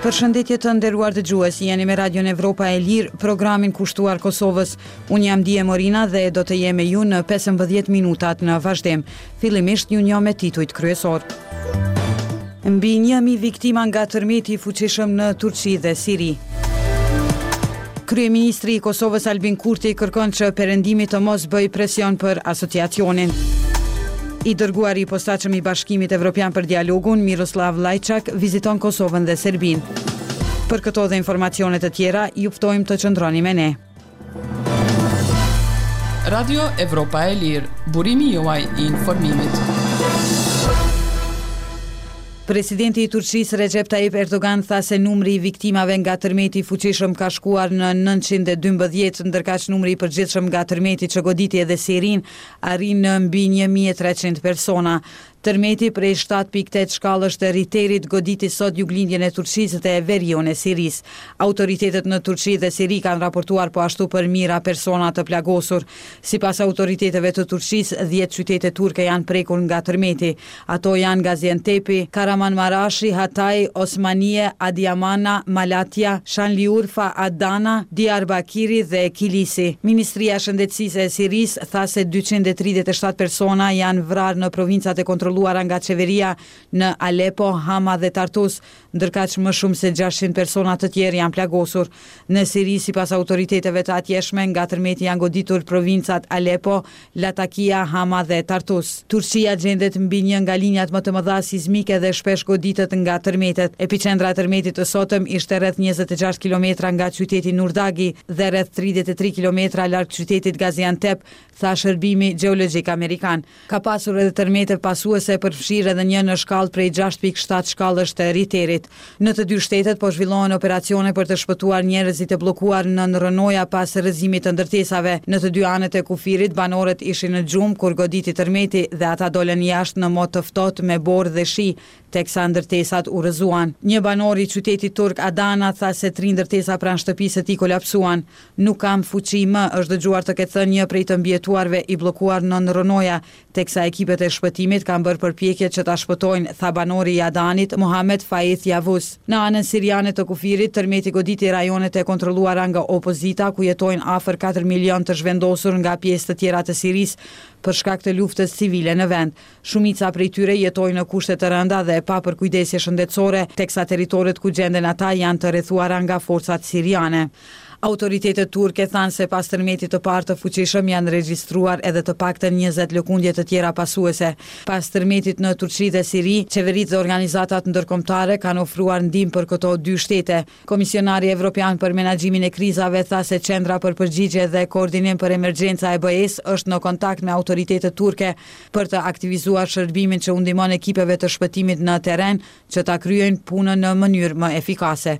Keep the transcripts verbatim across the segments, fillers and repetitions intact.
Përshëndetje të nderuar dëgjues, jeni me Radion Evropa e Lirë, programin kushtuar Kosovës. Unë jam Die Morina dhe do të jem me ju në pesëmbëdhjetë minutat në vazhdim. Fillimisht ju njoh me titujt kryesor. Mbi një mijë viktima nga tërmeti i fuqishëm në Turqi dhe Siri. Kryeministri i Kosovës Albin Kurti kërkon që Perëndimi të mos bëjë presion për asociacionin. I dërguari i posaçëm i Bashkimit Evropian për dialogun, Miroslav Lajçak, viziton Kosovën dhe Serbinë. Për këto dhe informacione të tjera, ju ftojmë të qëndroni me ne. Radio Evropa e Lirë, burimi juaj i informimit. Presidenti i Turqisë Recep Tayyip Erdogan tha se numri i viktimave nga tërmeti i fuqishëm ka shkuar në nëntëqind e dymbëdhjetë, ndërkaq numri i përgjithshëm nga tërmeti që goditi edhe Sirinë arrin në mbi një mijë e treqind persona. Tërmeti prej shtatë pikë tetë shkallësh të Ritterit goditi sot juglindjen e Turqisë dhe veriun e Sirisë. Autoritetet në Turqi dhe Siri kanë raportuar po ashtu për mijëra persona të plagosur. Sipas autoriteteve të Turqisë, dhjetë qytete turke janë prekur nga tërmeti. Ato janë Gaziantepi, Kahramanmarashi, Hatay, Osmanie, Adiamana, Malatya, Shanliurfa, Adana, Diyarbakiri dhe Kilisi. Ministria e Shëndetësisë e Sirisë tha se dyqind e tridhjetë e shtatë persona janë vrarë në provincat e kontrolluara nga qeveria në Aleppo, Hama dhe Tartus, ndërkaq më shumë se gjashtëqind persona të tjerë janë plagosur. Në Siri, sipas autoriteteve të atjeshme, nga tërmeti janë goditur provincat Aleppo, Latakia, Hama dhe Tartus. Turqia gjendet mbi një nga linjat më të mëdha sizmike dhe shpesh goditet nga tërmetet. Epiqendra e tërmetit të sotëm ishte rreth njëzet e gjashtë kilometra nga qyteti Nurdagi dhe rreth tridhjetë e tri kilometra larg qytetit Gaziantep, tha shërbimi gjeologjik amerikan. Ka pasur edhe tërmete pasuese, përfshirë edhe një në shkallë prej gjashtë pikë shtatë shkallësh të Ritterit. Në të dy shtetet po zhvillohen operacione për të shpëtuar njerëzit e bllokuar në rrënoja pas rrëzimit të ndërtesave. Në të dy anët e kufirit, banorët ishin në gjumë kur goditi tërmeti dhe ata dolën jashtë në mot të ftohtë me borë dhe shi, teksa ndërtesat u rrëzuan. Një banor i qytetit turk Adana tha se tri ndërtesa pranë shtëpisë së tij kolapsuan. Nuk kam fuqi më, është dëgjuar të ketë thënë një prej të mbijetuarve i bllokuar nën rrënoja, teksa ekipet e shpëtimit kanë bërë përpjekje që ta shpëtojnë, tha banori i Adanit, Mohamed Faith Yavuz. Në anën siriane të kufirit, tërmeti goditi rajonet e kontrolluara nga opozita, ku jetojnë afër katër milion të zhvendosur nga pjesë të tjera të Sirisë për shkak të luftës civile në vend. Shumica prej tyre jetojnë në kushte të rënda dhe pa përkujdesje shëndetësore, teksa territoret ku gjenden ata janë të rrethuara nga forcat siriane. Autoritetet turke thanë se pas tërmetit të parë të fuqishëm janë regjistruar edhe të paktën njëzet lëkundje të tjera pasuese. Pas tërmetit në Turqi dhe Siri, qeveritë dhe organizatat ndërkombëtare kanë ofruar ndihmë për këto dy shtete. Komisionari Evropian për Menaxhimin e Krizave tha se Qendra për Përgjigje dhe Koordinim për Emergjenca e B E-s është në kontakt me autoritetet turke për të aktivizuar shërbimin që u ndihmon ekipeve të shpëtimit në terren që ta kryejnë punën në mënyrë më efikase.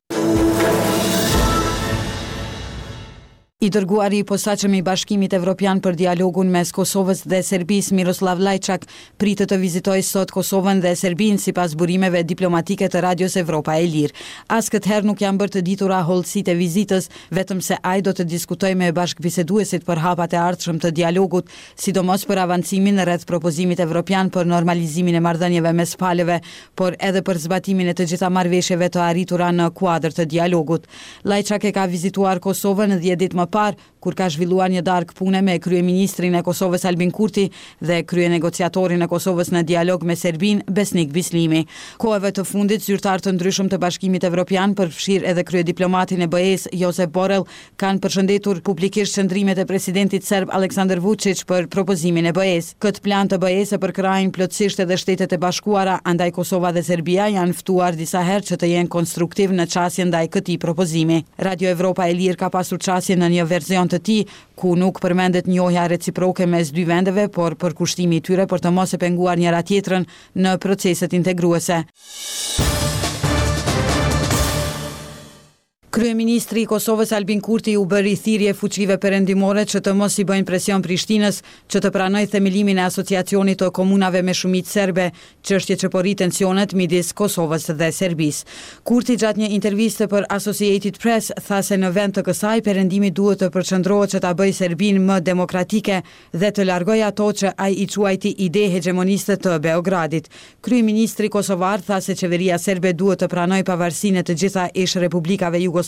I dërguari i posaçëm i Bashkimit Evropian për dialogun mes Kosovës dhe Serbisë, Miroslav Lajçak, pritet të vizitojë sot Kosovën dhe Serbinë sipas burimeve diplomatike të Radios Evropa e Lirë. As këtë herë nuk janë bërë të ditura hollësitë e vizitës, vetëm se ai do të diskutojë me bashkëbiseduesit për hapat e ardhshëm të dialogut, sidomos për avancimin rreth propozimit evropian për normalizimin e marrëdhënieve mes palëve, por edhe për zbatimin e të gjitha marrëveshjeve të arritura në kuadër të dialogut. Lajçak e ka vizituar Kosovën dhjetë ditë më parë, kur ka zhvilluar një darkë pune me kryeministrin e Kosovës Albin Kurti dhe kryenegociatorin e Kosovës në dialog me Serbinë, Besnik Bislimi. Kohëve të fundit, zyrtarë të ndryshëm të Bashkimit Evropian, përfshirë edhe kryediplomatin e B E-s, Josep Borrell, kanë përshëndetur publikisht qëndrimet e presidentit serb Aleksandar Vučić për propozimin e B E-s. Këtë plan të B E-s e përkrahin plotësisht edhe Shtetet e Bashkuara, andaj Kosova dhe Serbia janë ftuar disa herë që të jenë konstruktiv në qasjen ndaj këtij propozimi. Radio Evropa e Lirë ka pasur qasje në një version të tij, ku nuk përmendet njohja reciproke mes dy vendeve, por përkushtimi i tyre për të mos e penguar njëra tjetrën në proceset integruese. Kryeministri i Kosovës Albin Kurti u bëri thirrje fuqive perëndimore që të mos i bëjnë presion Prishtinës që të pranojë themelimin e Asociacionit të Komunave me shumicë serbe, çështje që po rrit tensionet midis Kosovës dhe Serbisë. Kurti gjatë një interviste për Associated Press tha se në vend të kësaj perëndimi duhet të përqendrohet që ta bëjë Serbinë më demokratike dhe të largojë ato që ai i quajti ide hegjemoniste të Beogradit. Kryeministri kosovar tha se qeveria serbe duhet të pranojë pavarësinë e të gjitha ish republikave jugosllave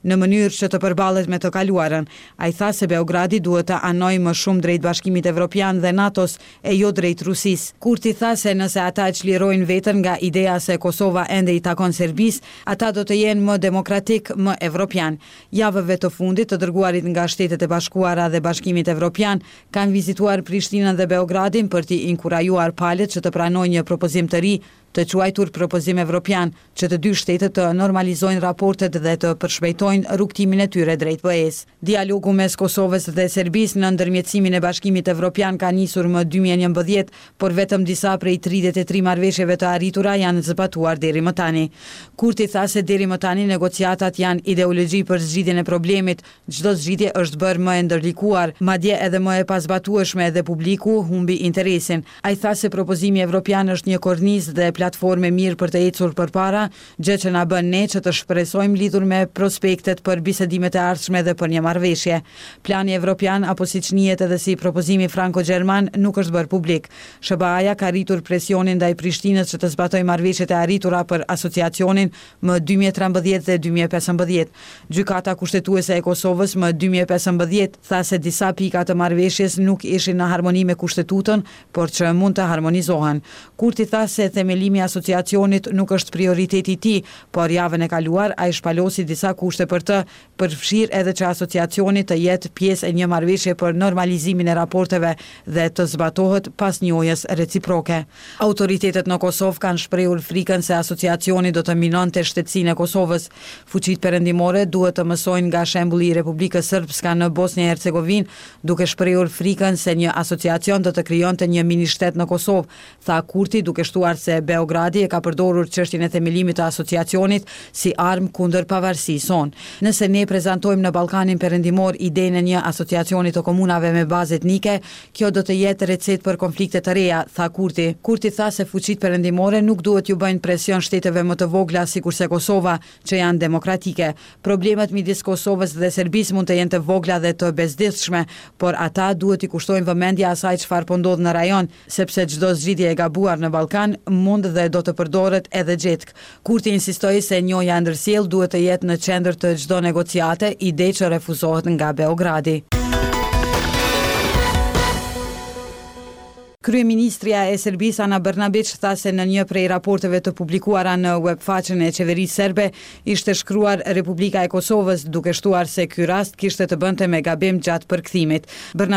në mënyrë që të përballet me të kaluarën. Ai tha se Beogradi duhet të anojë më shumë drejt Bashkimit Evropian dhe NATO-s e jo drejt Rusisë. Kurti tha se nëse ata e çlirojnë veten nga ideja se Kosova ende i takon Serbisë, ata do të jenë më demokratik, më evropian. Javëve të fundit, të dërguarit nga Shtetet e Bashkuara dhe Bashkimit Evropian kanë vizituar Prishtinën dhe Beogradin për t'i inkurajuar palët që të pranojnë një propozim të ri të quajtur propozim evropian, që të dy shtetet të normalizojnë raportet dhe të përshpejtojnë rrugëtimin e tyre drejt B E-s. Dialogu mes Kosovës dhe Serbisë në ndërmjetësimin e Bashkimit Evropian ka nisur më dy mijë e njëmbëdhjetë, por vetëm disa prej tridhjetë e tri marrëveshjeve të arritura janë zbatuar deri më tani. Kurti tha se deri më tani negociatat janë ideologji për zgjidhjen e problemit, çdo zgjidhje është bërë më e ndërlikuar, madje edhe më e pazbatueshme dhe publiku humbi interesin. Ai tha se propozimi evropian është një kornizë dhe platformë e mirë për të ecur përpara, gjë që na bën ne që të shpresojmë lidhur me prospektet për bisedimet e ardhshme dhe për një marrëveshje. Plani evropian, apo siç njihet edhe si propozimi franko-gjerman, nuk është bërë publik. S H B A-ja ka rritur presionin ndaj Prishtinës që të zbatojë marrëveshjet e arritura për asociacionin më dy mijë e trembëdhjetë dhe dy mijë e pesëmbëdhjetë. Gjykata Kushtetuese e Kosovës më dy mijë e pesëmbëdhjetë tha se disa pika të marrëveshjes nuk ishin në harmoni me kushtetutën, por që mund të harmonizohen. Kurti tha se themelimi i asociacionit nuk është prioriteti i tij, por javën e kaluar ai shpalosi disa kushte për të, përfshirë edhe që asociacioni të jetë pjesë e një marrëveshje për normalizimin e raporteve dhe të zbatohet pas njohjes reciproke. Autoritetet në Kosovë kanë shprehur frikën se asociacioni do të minonte shtetësinë e Kosovës. Fuqitë perëndimore duhet të mësojnë nga shembulli i Republikës Srpska në Bosnjë e Hercegovinë, duke shprehur frikën se një asociacion do të krijonte një mini shtet në Kosovë, tha Kurti, duke shtuar se Beogradi e ka përdorur çështjen e themelimit të asociacionit si armë kundër pavarësisë sonë. Nëse ne prezantojmë në Ballkanin Perëndimor idenë e një asociacioni të komunave me bazë etnike, kjo do të jetë recetë për konflikte të reja, tha Kurti. Kurti tha se fuqitë perëndimore nuk duhet ju bëjnë presion shteteve më të vogla sikurse Kosova, që janë demokratike. Problemet midis Kosovës dhe Serbisë mund të jenë të vogla dhe të bezdisshme, por ata duhet i kushtojnë vëmendje asaj çfarë po ndodh në rajon, sepse çdo zgjidhje e gabuar në Ballkan mund dhe do të përdoret edhe gjetkë. Kurti insistoi se njohja e ndërsjellë duhet të jetë në qendër të çdo negociate, ide që refuzohet nga Beogradi. Kryeministrja e Serbisë Ana Brnabić tha se në një prej raporteve të publikuara në webfaqen e qeverisë serbe ishte shkruar Republika e Kosovës, duke shtuar se ky rast kishte të bënte me gabim gjatë përkthimit. Brnabić